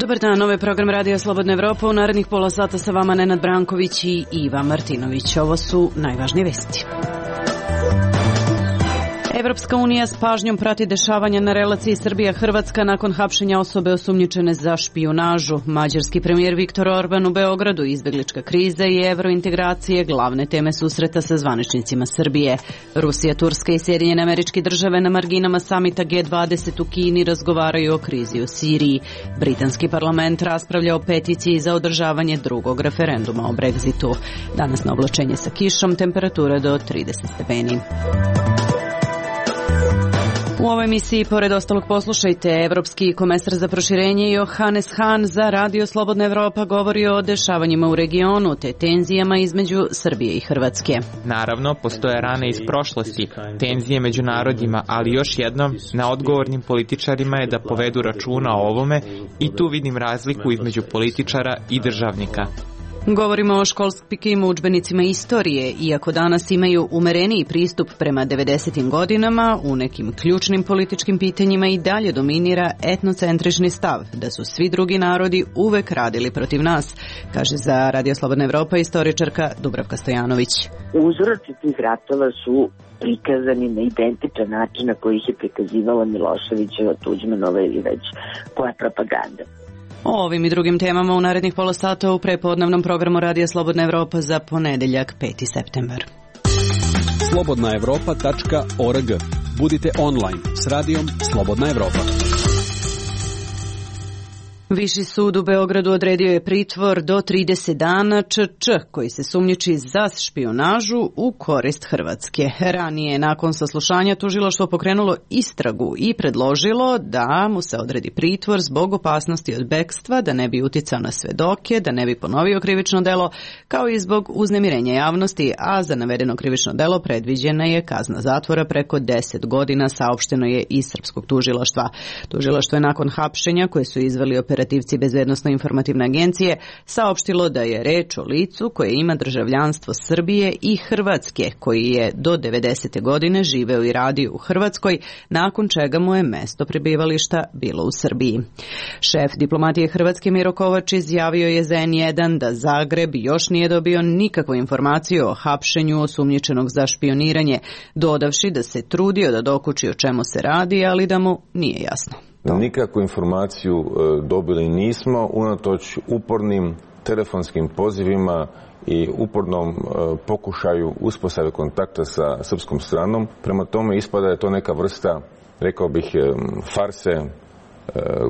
Dobar dan, ovaj program Radio Slobodna Evropa. U narednih pola sata sa vama Nenad Branković i Iva Martinović. Ovo su najvažnije vesti. Evropska unija s pažnjom prati dešavanja na relaciji Srbija-Hrvatska nakon hapšenja osobe osumnjičene za špijunažu. Mađarski premijer Viktor Orban u Beogradu, izbeglička kriza i evrointegracije glavne teme susreta sa zvaničnicima Srbije. Rusija, Turska i Sjedinjene Američke Države na marginama samita G20 u Kini razgovaraju o krizi u Siriji. Britanski parlament raspravlja o peticiji za održavanje drugog referenduma o Brexitu. Danas na oblačenje sa kišom, temperatura do 30 stepeni. U ovoj emisiji, pored ostalog, poslušajte, evropski komesar za proširenje Johannes Hahn za Radio Slobodna Evropa govori o dešavanjima u regionu te tenzijama između Srbije i Hrvatske. Naravno, postoje rane iz prošlosti, tenzije među narodima, ali još jednom, na odgovornim političarima je da povedu računa o ovome i tu vidim razliku između političara i državnika. Govorimo o školskim udžbenicima istorije. Iako danas imaju umereniji pristup prema 90. godinama, u nekim ključnim političkim pitanjima i dalje dominira etnocentrični stav, da su svi drugi narodi uvek radili protiv nas, kaže za Radio Slobodna Evropa istoričarka Dubravka Stojanović. Uzroci tih ratova su prikazani na identičan način na koji ih je prikazivala Miloševićeva, Tuđmanova ili već koja propaganda. O ovim i drugim temama u narednih pola sata u prepodnevnom programu Radija Slobodna Evropa za ponedeljak 5. septembar. slobodnaevropa.org. Budite online s radijom Slobodna Evropa. Viši sud u Beogradu odredio je pritvor do 30 dana ČČ, koji se sumnjiči za špijunažu u korist Hrvatske. Ranije, nakon saslušanja, tužilaštvo pokrenulo istragu i predložilo da mu se odredi pritvor zbog opasnosti od bekstva, da ne bi uticao na svedoke, da ne bi ponovio krivično delo, kao i zbog uznemirenja javnosti, a za navedeno krivično delo predviđena je kazna zatvora preko 10 godina, saopšteno je iz srpskog tužilaštva. Tužilaštvo je nakon hapšenja koje su izveli operativci Bezbednosno-informativne agencije saopštilo da je reč o licu koje ima državljanstvo Srbije i Hrvatske, koji je do 90. godine živeo i radio u Hrvatskoj, nakon čega mu je mesto prebivališta bilo u Srbiji. Šef diplomatije Hrvatske Miro Kovač izjavio je za N1 da Zagreb još nije dobio nikakvu informaciju o hapšenju osumnjičenog za špioniranje, dodavši da se trudio da dokuči o čemu se radi, ali da mu nije jasno. Nikakvu informaciju dobili nismo, unatoč upornim telefonskim pozivima i upornom pokušaju uspostave kontakta sa srpskom stranom. Prema tome ispada je to neka vrsta, rekao bih, farse,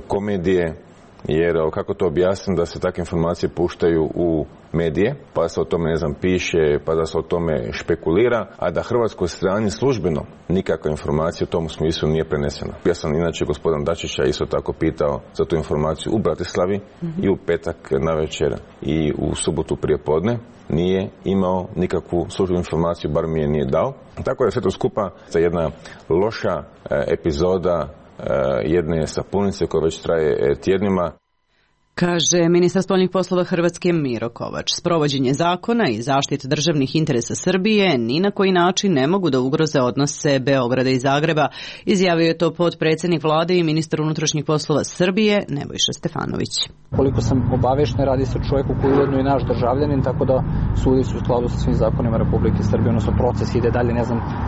komedije, jer kako to objasnim, da se takve informacije puštaju u medije, pa da se o tome, piše, pa da se o tome špekulira, a da hrvatskoj strani službeno nikakva informacija u tom smislu nije prenesena. Ja sam inače gospodina Dačića isto tako pitao za tu informaciju u Bratislavi i u petak navečer i u subotu prije podne. Nije imao nikakvu službenu informaciju, bar mi je nije dao. Tako da sve to skupa za jedna loša epizoda jedne sapunice koja već traje tjednima. Kaže ministar spoljnih poslova Hrvatske Miro Kovač. Sprovođenje zakona i zaštita državnih interesa Srbije ni na koji način ne mogu da ugroze odnose Beograda i Zagreba. Izjavio je to potpredsjednik vlade i ministar unutrašnjih poslova Srbije Nebojša Stefanović. Koliko sam obavešten, radi se o čovjeku koji je ujedno i naš državljanin, tako da sudi su u skladu sa svim zakonima Republike Srbije, odnosno proces ide dalje,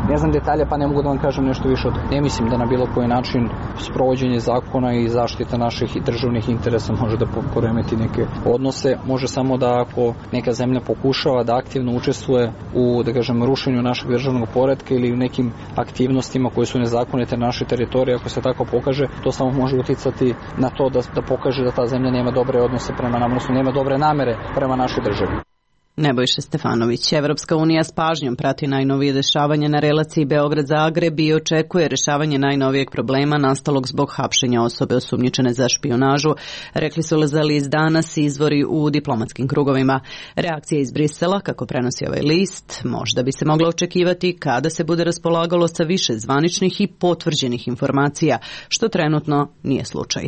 ne znam detalje, pa ne mogu da vam kažem nešto više od toga. Ne mislim da na bilo koji način sprovođenje zakona i zaštita naših državnih interesa može da poremeti neke odnose. Može samo da ako neka zemlja pokušava da aktivno učestvuje u, da kažem, rušenju našeg državnog poretka ili u nekim aktivnostima koje su nezakonite na našoj teritoriji, ako se tako pokaže, to samo može uticati na to da pokaže da ta zemlja nema dobre odnose prema nama, odnosno nema dobre namere prema našoj državi. Nebojša Stefanović. Evropska unija s pažnjom prati najnovije dešavanje na relaciji Beograd-Zagreb i očekuje rešavanje najnovijeg problema nastalog zbog hapšenja osobe osumnjičene za špijunažu, rekli su za list Danas izvori u diplomatskim krugovima. Reakcija iz Brisela, kako prenosi ovaj list, možda bi se mogla očekivati kada se bude raspolagalo sa više zvaničnih i potvrđenih informacija, što trenutno nije slučaj.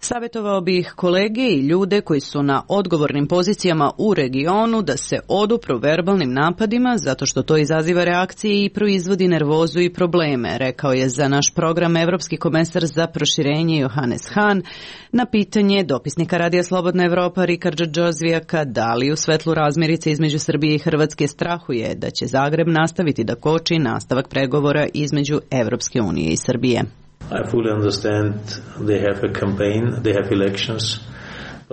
Savjetovao bih kolege i ljude koji su na odgovornim pozicijama u regionu da se odupru verbalnim napadima zato što to izaziva reakcije i proizvodi nervozu i probleme, rekao je za naš program Evropski komesar za proširenje Johannes Hahn na pitanje dopisnika Radija Slobodna Evropa Rikarda Džozvijaka da li u svetlu razmirice između Srbije i Hrvatske strahuje da će Zagreb nastaviti da koči nastavak pregovora između Evropske unije i Srbije. I fully understand they have a campaign, they have elections.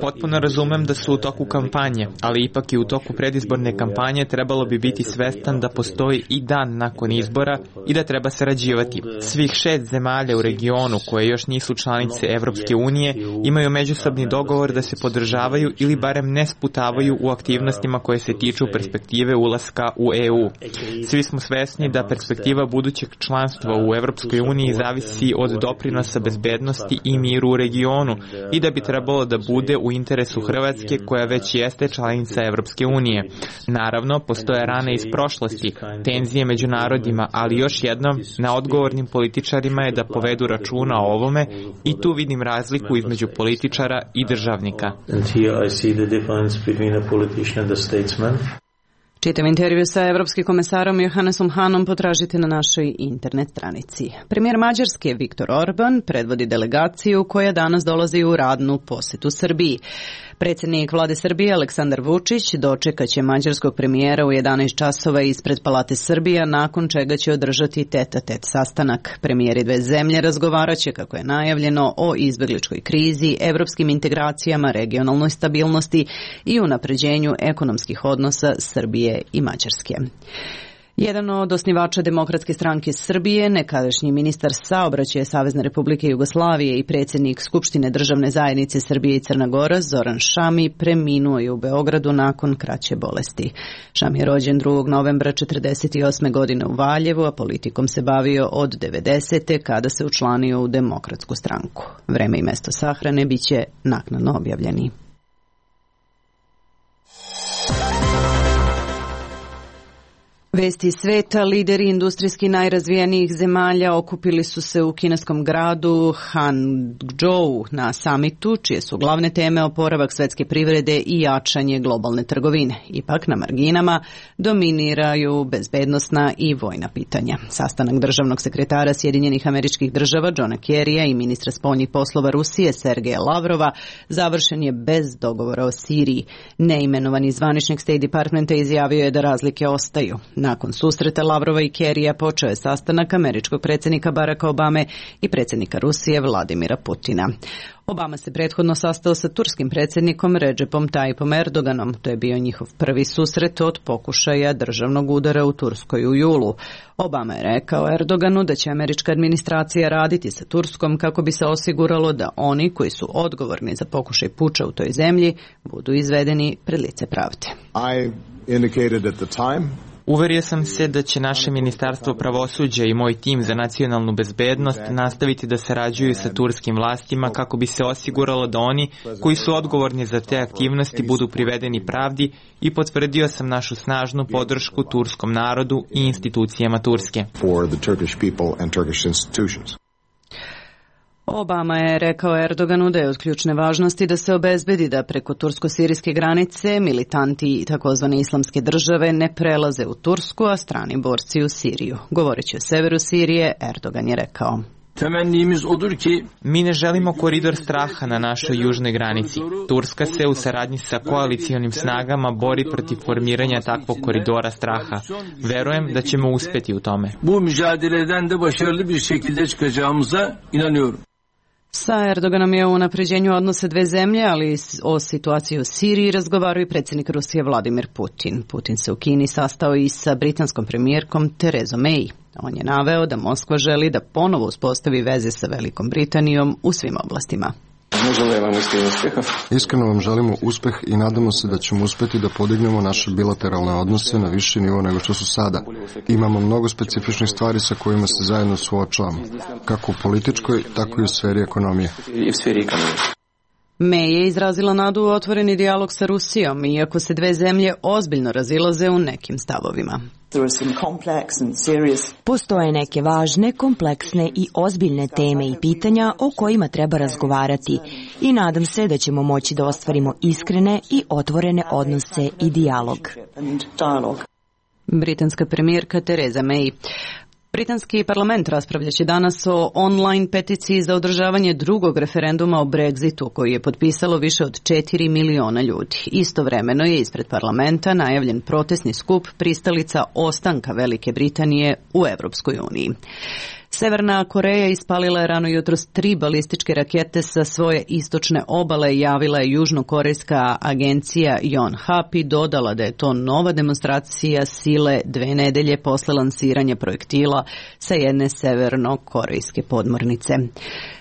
Potpuno razumem da su u toku kampanje, ali ipak i u toku predizborne kampanje trebalo bi biti svestan da postoji i dan nakon izbora i da treba sarađivati. Svih 6 zemalja u regionu koje još nisu članice Evropske unije imaju međusobni dogovor da se podržavaju ili barem ne sputavaju u aktivnostima koje se tiču perspektive ulaska u EU. Svi smo svesni da perspektiva budućeg članstva u Evropskoj uniji zavisi od doprinosa bezbednosti i miru u regionu i da bi trebalo da bude u interesu Hrvatske koja već jeste članica Evropske unije. Naravno, postoje rane iz prošlosti, tenzije među narodima, ali još jednom, na odgovornim političarima je da povedu računa o ovome i tu vidim razliku između političara i državnika. Čitav intervju sa evropskim komesarom Johannesom Hahnom potražite na našoj internet stranici. Premijer Mađarske Viktor Orban predvodi delegaciju koja danas dolazi u radnu posetu Srbiji. Predsjednik vlade Srbije Aleksandar Vučić dočekaće mađarskog premijera u 11 časova ispred Palate Srbija, nakon čega će održati tet-a-tet sastanak. Premijeri dve zemlje razgovaraće, kako je najavljeno, o izbegličkoj krizi, evropskim integracijama, regionalnoj stabilnosti i unapređenju ekonomskih odnosa Srbije i Mađarske. Jedan od osnivača Demokratske stranke Srbije, nekadašnji ministar saobraćaja Savezne Republike Jugoslavije i predsjednik Skupštine državne zajednice Srbije i Crna Gora, Zoran Šami, preminuo je u Beogradu nakon kraće bolesti. Šami je rođen 2. novembra 1948. godine u Valjevu, a politikom se bavio od 90. kada se učlanio u Demokratsku stranku. Vreme i mesto sahrane biće naknadno objavljeni. Vesti sveta, lideri industrijski najrazvijenijih zemalja okupili su se u kineskom gradu Hangzhou na samitu, čije su glavne teme oporavak svetske privrede i jačanje globalne trgovine. Ipak na marginama dominiraju bezbednosna i vojna pitanja. Sastanak državnog sekretara Sjedinjenih Američkih Država Johna Kerrya i ministra spoljnih poslova Rusije Sergeja Lavrova završen je bez dogovora o Siriji. Neimenovani zvaničnik State Departmenta izjavio je da razlike ostaju. Nakon susreta Lavrova i Kerrya počeo je sastanak američkog predsjednika Baracka Obame i predsjednika Rusije Vladimira Putina. Obama se prethodno sastao sa turskim predsjednikom Recepom Tayyipom Erdoganom. To je bio njihov prvi susret od pokušaja državnog udara u Turskoj u julu. Obama je rekao Erdoganu da će američka administracija raditi sa Turskom kako bi se osiguralo da oni koji su odgovorni za pokušaj puča u toj zemlji budu izvedeni pred lice pravde. Uverio sam se da će naše Ministarstvo pravosuđa i moj tim za nacionalnu bezbednost nastaviti da sarađuju sa turskim vlastima kako bi se osiguralo da oni koji su odgovorni za te aktivnosti budu privedeni pravdi i potvrdio sam našu snažnu podršku turskom narodu i institucijama Turske. Obama je rekao Erdoganu da je od ključne važnosti da se obezbedi da preko tursko-sirijske granice militanti takozvane islamske države ne prelaze u Tursku, a strani borci u Siriju. Govoreći o severu Sirije, Erdogan je rekao: Mi ne želimo koridor straha na našoj južnoj granici. Turska se u saradnji sa koalicijonim snagama bori protiv formiranja takvog koridora straha. Verujem da ćemo uspjeti u tome. Sa Erdoganom je o unapređenju odnosa dve zemlje, ali o situaciji u Siriji razgovarao i predsjednik Rusije Vladimir Putin. Putin se u Kini sastao i sa britanskom premijerkom Therezom May. On je naveo da Moskva želi da ponovo uspostavi veze sa Velikom Britanijom u svim oblastima. Iskreno vam želimo uspeh i nadamo se da ćemo uspjeti da podignemo naše bilateralne odnose na viši nivo nego što su sada. Imamo mnogo specifičnih stvari sa kojima se zajedno suočavamo, kako u političkoj, tako i u sferi ekonomije. May je izrazila nadu u otvoreni dijalog sa Rusijom, iako se dve zemlje ozbiljno razilaze u nekim stavovima. Postoje neke važne, kompleksne i ozbiljne teme i pitanja o kojima treba razgovarati i nadam se da ćemo moći da ostvarimo iskrene i otvorene odnose i dijalog. Britanska premijerka Theresa May. Britanski parlament raspravljaće danas o online peticiji za održavanje drugog referenduma o Brexitu, koji je potpisalo više od 4 miliona ljudi. Istovremeno je ispred parlamenta najavljen protestni skup pristalica ostanka Velike Britanije u Evropskoj uniji. Severna Koreja ispalila je rano jutros 3 balističke rakete sa svoje istočne obale, javila je južnokorejska agencija Yonhap i dodala da je to nova demonstracija sile 2 nedelje posle lansiranja projektila sa jedne severnokorejske podmornice.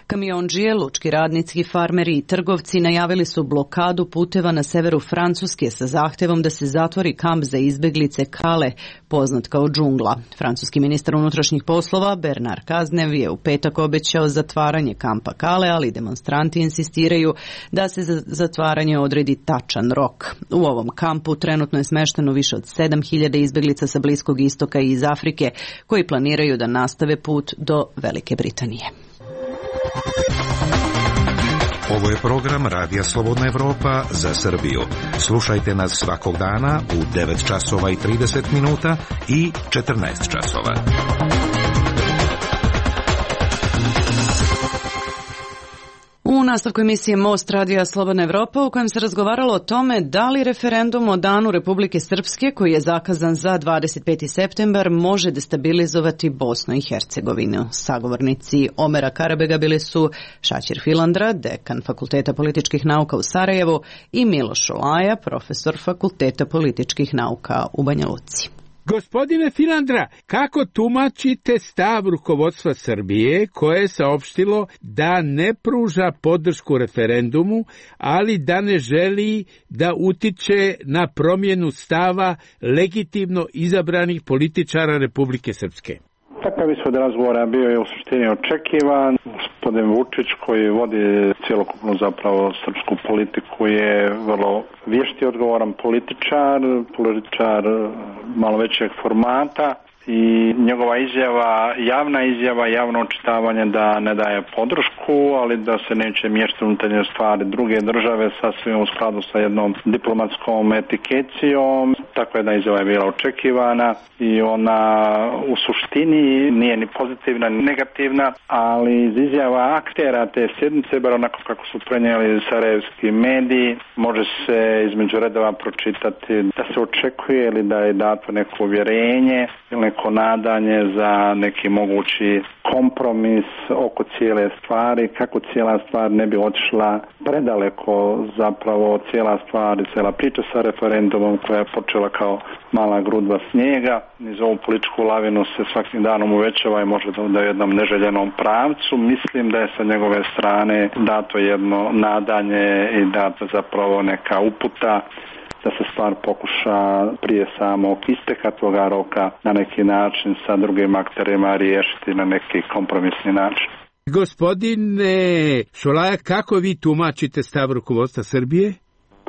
Kamiondžije, lučki radnici, farmeri i trgovci najavili su blokadu puteva na severu Francuske sa zahtevom da se zatvori kamp za izbeglice Calais, poznat kao džungla. Francuski ministar unutrašnjih poslova Bernard Cazeneuve je u petak obećao zatvaranje kampa Calais, ali demonstranti insistiraju da se za zatvaranje odredi tačan rok. U ovom kampu trenutno je smešteno više od 7.000 izbeglica sa Bliskog istoka i iz Afrike koji planiraju da nastave put do Velike Britanije. Ovo je program Radija Slobodna Evropa za Srbiju. Slušajte nas svakog dana u 9 časova i 30 minuta i 14 časova. U nastavku emisije Most Radija Slobodna Evropa, u kojem se razgovaralo o tome da li referendum o Danu Republike Srpske, koji je zakazan za 25. septembar, može destabilizovati Bosnu i Hercegovinu. Sagovornici Omera Karabega bili su Šaćir Filandra, dekan Fakulteta političkih nauka u Sarajevu, i Miloš Šolaja, profesor Fakulteta političkih nauka u Banja Luci. Gospodine Filandra, kako tumačite stav rukovodstva Srbije koje je saopštilo da ne pruža podršku referendumu, ali da ne želi da utiče na promjenu stava legitimno izabranih političara Republike Srpske? Takav ishod razgovora bio je u suštini očekivan. Gospodin Vučić, koji vodi cjelokupnu zapravo srpsku politiku, je vrlo vješti, odgovoran političar malo većeg formata i njegova izjava, javno očitavanje da ne daje podršku, ali da se neće miješati unutarnje stvari druge države sasvim u skladu sa jednom diplomatskom etikecijom. Takva jedna izjava je bila očekivana i ona u suštini nije ni pozitivna ni negativna, ali iz izjava aktera te sjednice, bar onako kako su prenijeli sarajevski mediji, može se između redova pročitati da se očekuje ili da je dato neko uvjerenje ili neko nadanje za neki mogući kompromis oko cijele stvari, kako cijela stvar ne bi otišla predaleko, zapravo cijela stvar i cijela priča sa referendumom koja je počela kao mala grudva snijega. Niz ovu političku lavinu se svakim danom uvećava i može da u jednom neželjenom pravcu. Mislim da je sa njegove strane dato jedno nadanje i dato zapravo neka uputa da se stvar pokuša prije samog isteka toga roka na neki način sa drugim akterima riješiti na neki kompromisni način. Gospodine Šolaja, kako vi tumačite stav rukovodstva Srbije?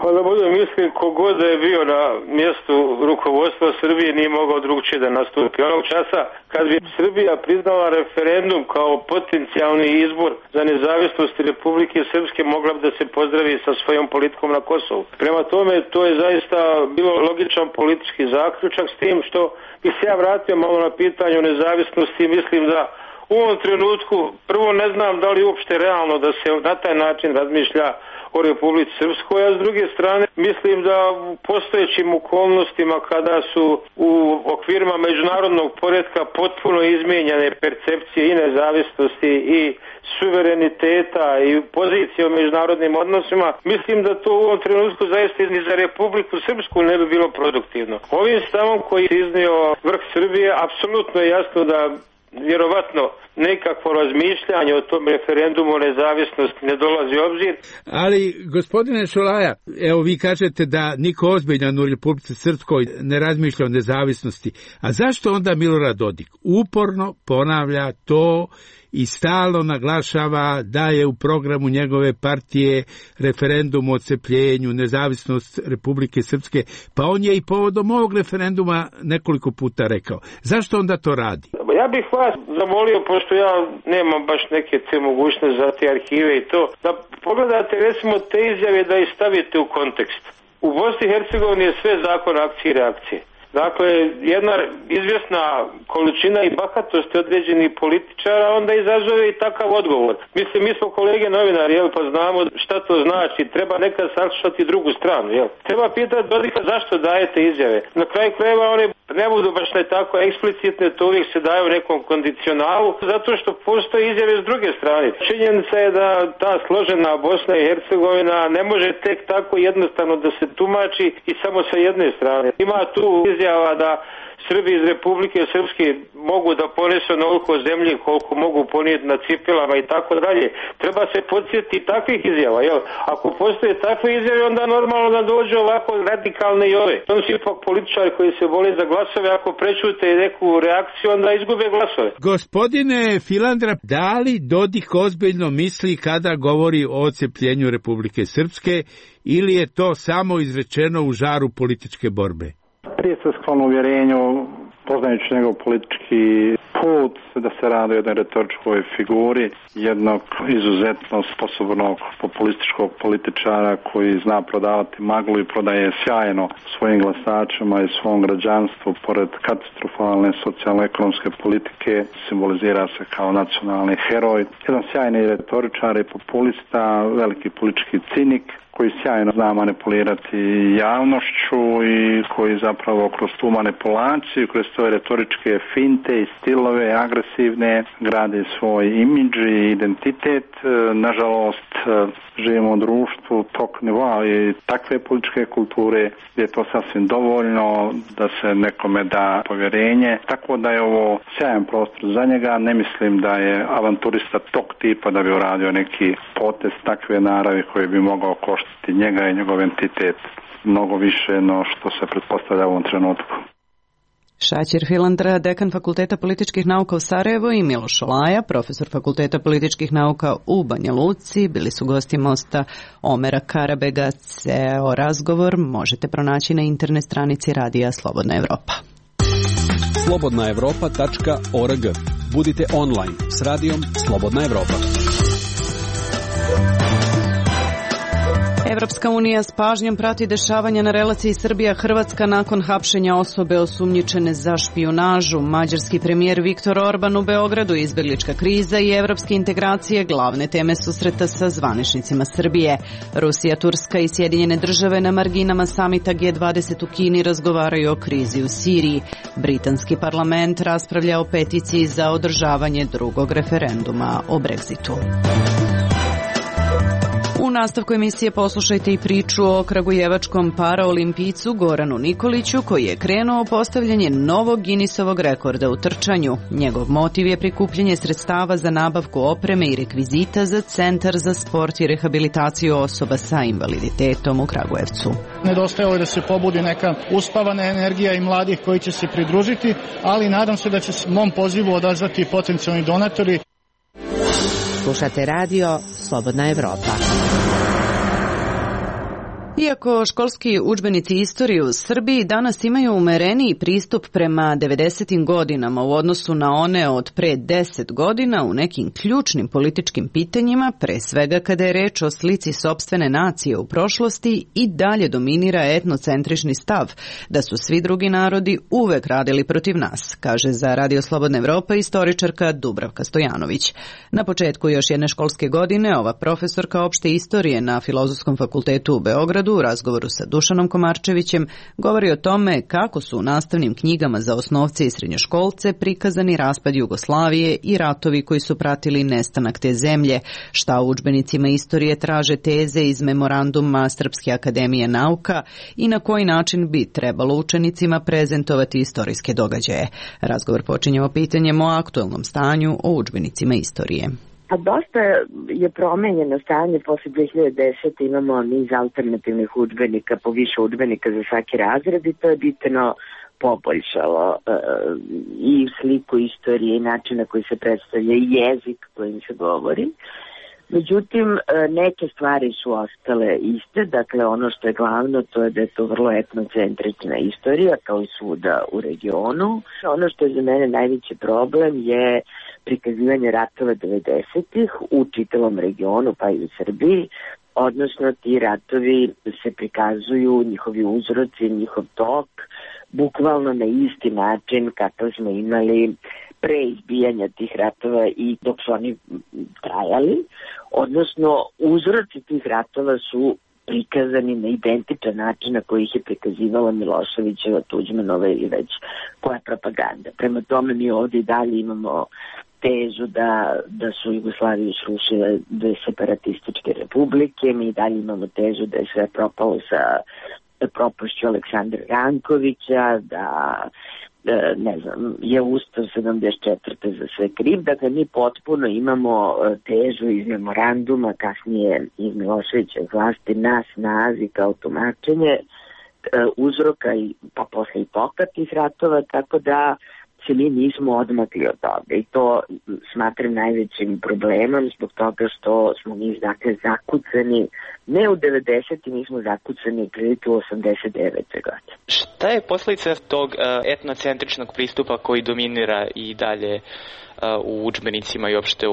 Pa da budem mislim, kogod da je bio na mjestu rukovodstva Srbije nije mogao drugčije da nastupi. Onog časa kad bi Srbija priznala referendum kao potencijalni izbor za nezavisnost Republike Srpske, mogla bi da se pozdravi sa svojom politikom na Kosovu. Prema tome, to je zaista bilo logičan politički zaključak, s tim što bi se ja vratio malo na pitanju nezavisnosti. Mislim da u ovom trenutku, prvo ne znam da li uopšte realno da se na taj način razmišlja o Republici Srpskoj, a s druge strane mislim da u postojećim okolnostima kada su u okvirima međunarodnog poretka potpuno izmijenjene percepcije i nezavisnosti i suvereniteta i pozicije u međunarodnim odnosima, mislim da to u ovom trenutku zaista ni za Republiku Srpsku ne bi bilo produktivno. Ovim stavom koji je iznio vrh Srbije, apsolutno je jasno da vjerovatno nekakvo razmišljanje o tom referendumu o nezavisnosti ne dolazi u obzir. Ali, gospodine Šolaja, evo vi kažete da niko ozbiljan u Republici Srpskoj ne razmišlja o nezavisnosti. A zašto onda Milorad Dodik uporno ponavlja to i stalno naglašava da je u programu njegove partije referendum o odcepljenju, nezavisnost Republike Srpske, pa on je i povodom ovog referenduma nekoliko puta rekao. Zašto onda to radi? Ja bih vas zamolio, pošto ja nemam baš neke te mogućnosti za te arhive i to, da pogledate recimo te izjave da ih stavite u kontekst. U Bosni i Hercegovini je sve zakon akcije i reakcije. Dakle, jedna izvjesna količina i bahatosti određenih političara onda izazove i takav odgovor. Mislim, mi smo kolege novinari, jel, pa znamo šta to znači. Treba nekad saslušati drugu stranu, jel. Treba pitati Dodika zašto dajete izjave. Na kraju krajeva one ne budu baš ne tako eksplicitne, to uvijek se daje u nekom kondicionalu, zato što postoje izjave s druge strane. Činjenica je da ta složena Bosna i Hercegovina ne može tek tako jednostavno da se tumači i samo sa jedne strane. Ima tu izjava da Srbi iz Republike Srpske mogu da ponesu onoliko zemlje koliko mogu ponijeti na cipelama i tako dalje. Treba se podsjetiti takvih izjava, jel? Ako postoje takve izjave, onda normalno da dođu ovako radikalne i ove. To su ipak političari koji se bole za glasove, ako prečute neku reakciju, onda izgube glasove. Gospodine Filandra, da li Dodik ozbiljno misli kada govori o odcepljenju Republike Srpske ili je to samo izrečeno u žaru političke borbe? Prije se sklon uvjerenju, poznajući njegov politički put, da se radi o jednoj retoričkoj figuri, jednog izuzetno sposobnog populističkog političara koji zna prodavati maglu i prodaje sjajno svojim glasačima i svom građanstvu, pored katastrofalne socijalno-ekonomske politike, simbolizira se kao nacionalni heroj. Jedan sjajni retoričar i populista, veliki politički cinik, koji sjajno zna manipulirati javnošću i koji zapravo kroz tu manipulaciju, kroz svoje retoričke finte i stilove agresivne gradi svoj imidž i identitet. Nažalost, živimo u društvu tog nivoa i takve političke kulture gdje je to sasvim dovoljno da se nekome da povjerenje. Tako da je ovo sjajan prostor za njega. Ne mislim da je avanturista tog tipa da bi uradio neki potez takve naravi koji bi mogao koštiti njega i njegov entitet mnogo više no što se pretpostavlja u ovom trenutku. Šaćir Filandra, dekan Fakulteta političkih nauka u Sarajevu, i Miloš Olaja, profesor Fakulteta političkih nauka u Banja Luci, bili su gosti mosta Omera Karabega. Ceo razgovor možete pronaći na internet stranici Radija Slobodna Evropa. slobodnaevropa.org. Budite online s Radijom Slobodna Evropa. Evropska unija s pažnjom prati dešavanja na relaciji Srbija-Hrvatska nakon hapšenja osobe osumnjičene za špijunažu. Mađarski premijer Viktor Orban u Beogradu, izbeglička kriza i evropske integracije glavne teme susreta sa zvaničnicima Srbije. Rusija, Turska i Sjedinjene države na marginama samita G20 u Kini razgovaraju o krizi u Siriji. Britanski parlament raspravlja o peticiji za održavanje drugog referenduma o Brexitu. U nastavku emisije poslušajte i priču o kragujevačkom paraolimpijcu Goranu Nikoliću, koji je krenuo postavljanje novog Guinnessovog rekorda u trčanju. Njegov motiv je prikupljanje sredstava za nabavku opreme i rekvizita za Centar za sport i rehabilitaciju osoba sa invaliditetom u Kragujevcu. Nedostajalo je da se pobudi neka uspavana energija i mladih koji će se pridružiti, ali nadam se da će se mom pozivu odazvati potencijalni donatori. Slušate radio Slobodna Evropa. Iako školski udžbenici istorije u Srbiji danas imaju umereniji pristup prema 90. godinama u odnosu na one od pre 10 godina u nekim ključnim političkim pitanjima, pre svega kada je reč o slici sopstvene nacije u prošlosti, i dalje dominira etnocentrični stav da su svi drugi narodi uvek radili protiv nas, kaže za Radio Slobodna Evropa istoričarka Dubravka Stojanović. Na početku još jedne školske godine ova profesorka opšte istorije na Filozofskom fakultetu u Beogradu u razgovoru sa Dušanom Komarčevićem govori o tome kako su u nastavnim knjigama za osnovce i srednjoškolce prikazani raspad Jugoslavije i ratovi koji su pratili nestanak te zemlje, šta u udžbenicima istorije traže teze iz memoranduma Srpske akademije nauka i na koji način bi trebalo učenicima prezentovati istorijske događaje. Razgovor počinjemo pitanjem o aktuelnom stanju o udžbenicima istorije. A dosta je promenjeno stanje posle 2010. Imamo niz alternativnih udžbenika, po više udžbenika za svaki razred i to je bitno poboljšalo i sliku istorije i način na koji se predstavlja i jezik kojim se govori. Međutim, neke stvari su ostale iste, dakle ono što je glavno to je da je to vrlo etnocentrična istorija kao i svuda u regionu. Ono što je za mene najveći problem je prikazivanje ratova 90-ih u čitavom regionu pa i u Srbiji, odnosno ti ratovi se prikazuju, njihovi uzroci, njihov tok, bukvalno na isti način kakav smo imali pre izbijanja tih ratova i dok su oni trajali, odnosno uzroci tih ratova su prikazani na identičan način na koji ih je prikazivala Miloševićeva, Tuđmanova ili već koja propaganda. Prema tome mi ovdje i dalje imamo tezu da su Jugoslaviju srušile dve separatističke republike, mi i dalje imamo tezu da je sve propalo sa propašću Aleksandra Rankovića, da ne znam, je Ustav 74. za sve kriv. Dakle, mi potpuno imamo težu iz memoranduma, kasnije iz Miloševićeve vlasti na snazi kao tumačenje uzroka i pa posle i toka tih ratova, tako da se mi nismo odmakli od toga i to smatram najvećim problemom zbog toga što smo mi dakle zakucani, ne u 90. mi smo zakucani prilike u 89. godine. Šta je posljedica tog etnocentričnog pristupa koji dominira i dalje u udžbenicima i uopšte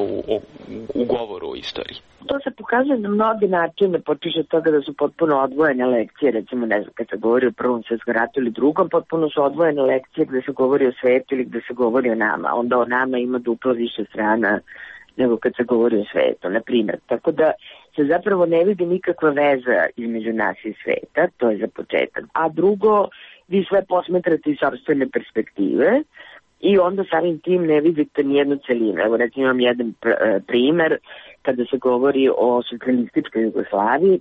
u govoru o istoriji? To se pokazuje na mnogi načine, počeše od toga da su potpuno odvojene lekcije, recimo ne znam, kad se govori o Prvom svjetskom ratu ili drugom, potpuno su odvojene lekcije gde se govori o svetu ili gde se govori o nama. Onda o nama ima duplo više strana nego kad se govori o svetu, na primjer. Tako da se zapravo ne vidi nikakva veza između nas i sveta, to je za početak. A drugo, vi sve posmetrate iz sopstvene perspektive i onda samim tim ne vidite nijednu celinu. Evo recimo imam jedan primer kada se govori o socijalističkoj Jugoslaviji.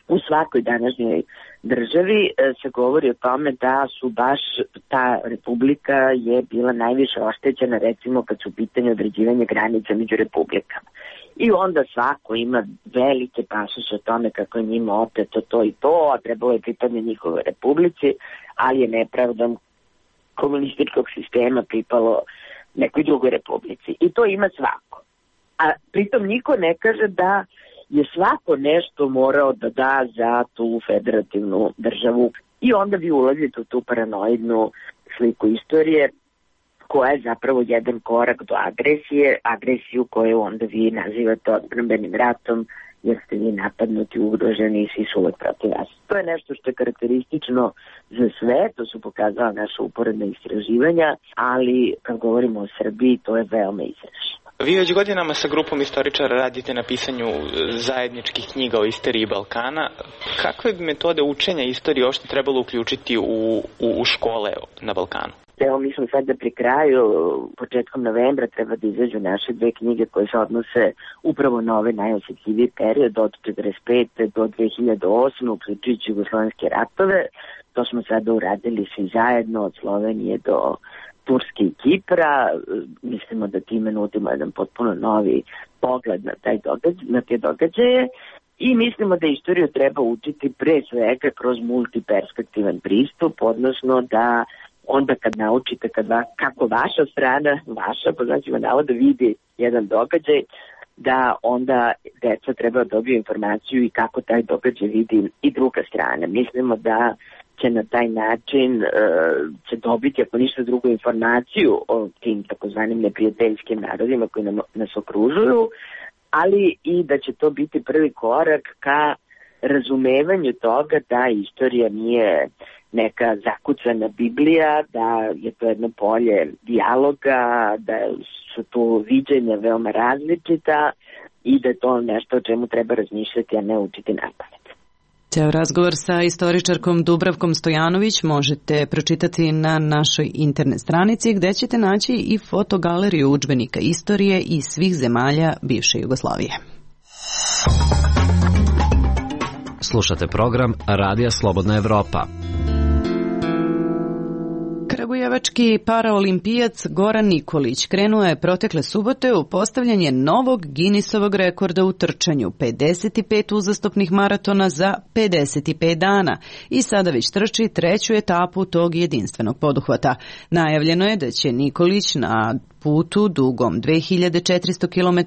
U svakoj današnjoj državi se govori o tome da su baš ta republika je bila najviše oštećena recimo kad su u pitanju određivanje granica među republikama. I onda svako ima velike pasoše o tome kako je njima oteto to i to, a trebalo je pripadne njihove republici, ali je nepravdom komunističkog sistema pripalo nekoj drugoj republici. I to ima svako. A pritom niko ne kaže da je svako nešto morao da da za tu federativnu državu. I onda vi ulazite u tu paranoidnu sliku istorije koja je zapravo jedan korak do agresije, agresiju koju onda vi nazivate odbrambenim ratom jer ste vi napadnuti, ugroženi i svi su uvek protiv vas. To je nešto što je karakteristično za sve, to su pokazala naša uporedna istraživanja, ali kad govorimo o Srbiji to je veoma izraženo. Vi već godinama sa grupom istoričara radite na pisanju zajedničkih knjiga o istoriji Balkana. Kakve metode učenja istorije uopšte trebalo uključiti u škole na Balkanu? Evo, mi smo sada pri kraju, početkom novembra treba da izađu naše dve knjige koje se odnose upravo na ove najosjetljiviji period od 1945. do 2008. uključujući jugoslovenske ratove. To smo sada uradili svi zajedno od Slovenije do Turske i Kipra. Mislimo da time nudimo jedan potpuno novi pogled na te događaje i mislimo da istoriju treba učiti pre svega kroz multiperspektivan pristup, odnosno da onda kad naučite kako vaša strana, po značima navoda, vidi jedan događaj, da onda deca treba dobiju informaciju i kako taj događaj vidi i druga strana. Mislimo da će na taj način će dobiti, ako ništa drugo, informaciju o tim takozvanim neprijateljskim narodima koji nas okružuju, ali i da će to biti prvi korak ka razumevanju toga da istorija nije neka zakucana Biblija, da je to jedno polje dijaloga, da su tu viđenja veoma različita i da je to nešto o čemu treba razmišljati, a ne učiti napamet. Ceo razgovor sa istoričarkom Dubravkom Stojanović možete pročitati na našoj internet stranici gde ćete naći i fotogaleriju udžbenika istorije iz svih zemalja bivše Jugoslavije. Slušate program Radija Slobodna Evropa. Kragujevački paraolimpijac Goran Nikolić krenuo je protekle subote u postavljanje novog Guinnessovog rekorda u trčanju 55 uzastopnih maratona za 55 dana i sada već trči treću etapu tog jedinstvenog poduhvata. Najavljeno je da će Nikolić na putu dugom 2400 km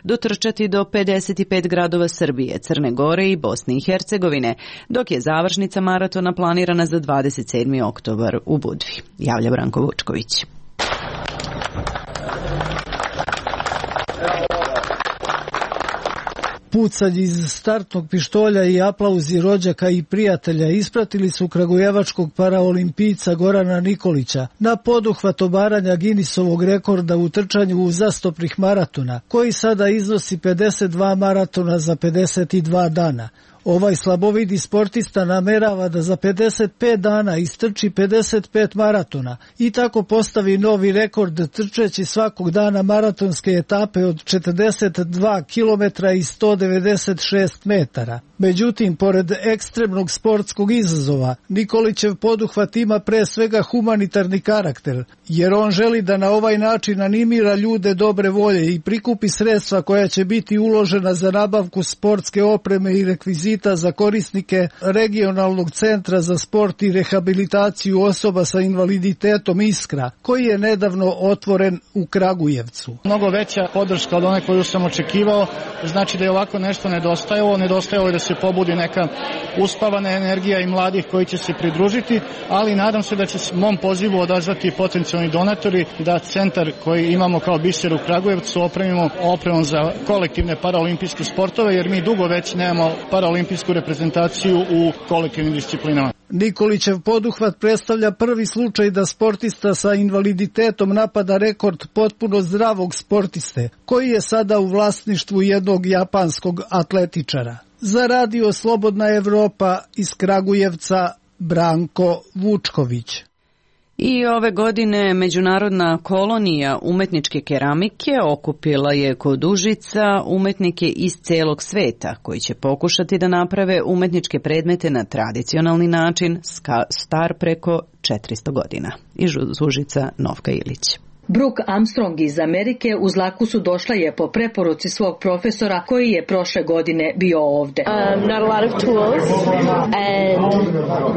dotrčati do 55 gradova Srbije, Crne Gore i Bosne i Hercegovine, dok je završnica maratona planirana za 27. oktobar u Budvi. Javlja Branko Vučković. Pucanje iz startnog pištolja i aplauzi rođaka i prijatelja ispratili su kragujevačkog paraolimpijca Gorana Nikolića na poduhvat obaranja Guinnessovog rekorda u trčanju uzastopnih maratona, koji sada iznosi 52 maratona za 52 dana. Ovaj slabovidi sportista namerava da za 55 dana istrči 55 maratona i tako postavi novi rekord trčeći svakog dana maratonske etape od 42 km i 196 metara. Međutim, pored ekstremnog sportskog izazova, Nikolićev poduhvat ima pre svega humanitarni karakter, jer on želi da na ovaj način animira ljude dobre volje i prikupi sredstva koja će biti uložena za nabavku sportske opreme i rekvizita za korisnike regionalnog centra za sport i rehabilitaciju osoba sa invaliditetom Iskra, koji je nedavno otvoren u Kragujevcu. Mnogo veća podrška od one koju sam očekivao, znači da je ovako nešto nedostajalo i da se pobudi neka uspavana energija i mladih koji će se pridružiti, ali nadam se da će se mom pozivu odazvati potencijalni donatori da centar koji imamo kao biser u Kragujevcu opremimo opremom za kolektivne paraolimpijske sportove, jer mi dugo već nemamo paraolimpijsku reprezentaciju u kolektivnim disciplinama. Nikolićev poduhvat predstavlja prvi slučaj da sportista sa invaliditetom napada rekord potpuno zdravog sportiste, koji je sada u vlasništvu jednog japanskog atletičara. Za radio Slobodna Evropa iz Kragujevca, Branko Vučković. I ove godine Međunarodna kolonija umetničke keramike okupila je kod Užica umetnike iz celog sveta koji će pokušati da naprave umetničke predmete na tradicionalni način star preko 400 godina. Iz Užica Novka Ilić. Brooke Armstrong iz Amerike u Zlakusu došla je po preporuci svog profesora koji je prošle godine bio ovde.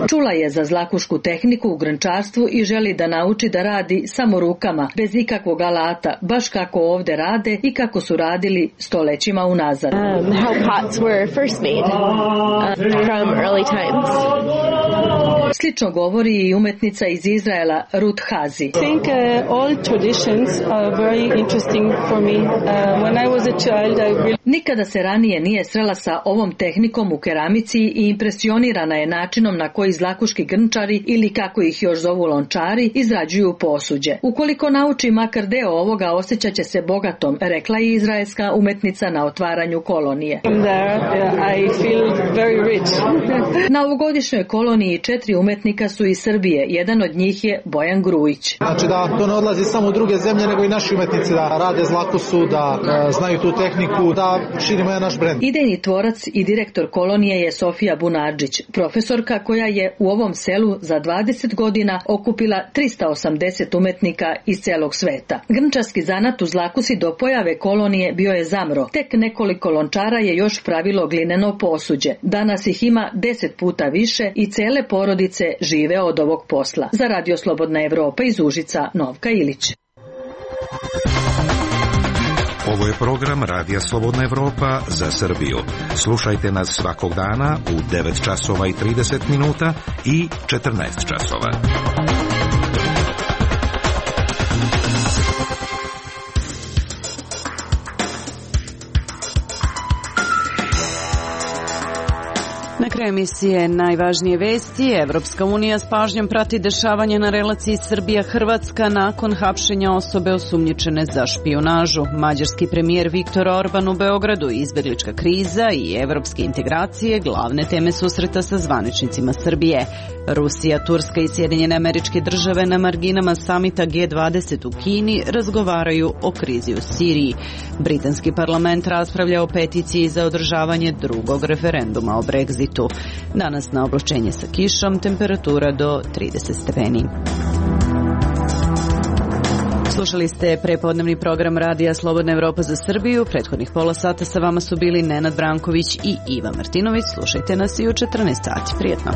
Čula je za zlakušku tehniku u grnčarstvu i želi da nauči da radi samo rukama, bez ikakvog alata, baš kako ovde rade i kako su radili stolećima unazad. Slično govori i umetnica iz Izraela Ruth Hazi. Nikada se ranije nije srela sa ovom tehnikom u keramici i impresionirana je načinom na koji zlakuški grnčari ili kako ih još zovu lončari izrađuju posuđe. Ukoliko nauči makar deo ovoga, osjećat će se bogatom, rekla je izraelska umetnica na otvaranju kolonije. Na ovogodišnjoj koloniji 4 umetnika su iz Srbije, jedan od njih je Bojan Grujić. Znači da to ne odlazi samo u druge zemlje, nego i naši umetnici da rade zlakusu, da znaju tu tehniku, da širimo jedan naš brend. Idejni tvorac i direktor kolonije je Sofija Bunadžić, profesorka koja je u ovom selu za 20 godina okupila 380 umetnika iz celog sveta. Grnčarski zanat u Zlakusi do pojave kolonije bio je zamro. Tek nekoliko lončara je još pravilo glineno posuđe. Danas ih ima 10 puta više i cele porodice žive od ovog posla. Za Radio Slobodna Evropa iz Užica, Novka Ilić. Ovo je program Radija Slobodna Evropa za Srbiju. Slušajte nas svakog dana u 9 časova i 30 minuta i 14 časova. Na kraju emisije najvažnije vesti. Evropska unija s pažnjom prati dešavanje na relaciji Srbija-Hrvatska nakon hapšenja osobe osumnjičene za špijunažu. Mađarski premijer Viktor Orban u Beogradu, izbeglička kriza i evropske integracije glavne teme susreta sa zvaničnicima Srbije. Rusija, Turska i Sjedinjene Američke Države na marginama samita G20 u Kini razgovaraju o krizi u Siriji. Britanski parlament raspravlja o peticiji za održavanje drugog referenduma o Brexitu. Danas na oblačenje sa kišom, temperatura do 30 stepeni. Slušali ste prepodnevni program Radija Slobodna Evropa za Srbiju. Prethodnih pola sata sa vama su bili Nenad Branković i Iva Martinović. Slušajte nas i u 14 sati. Prijetno.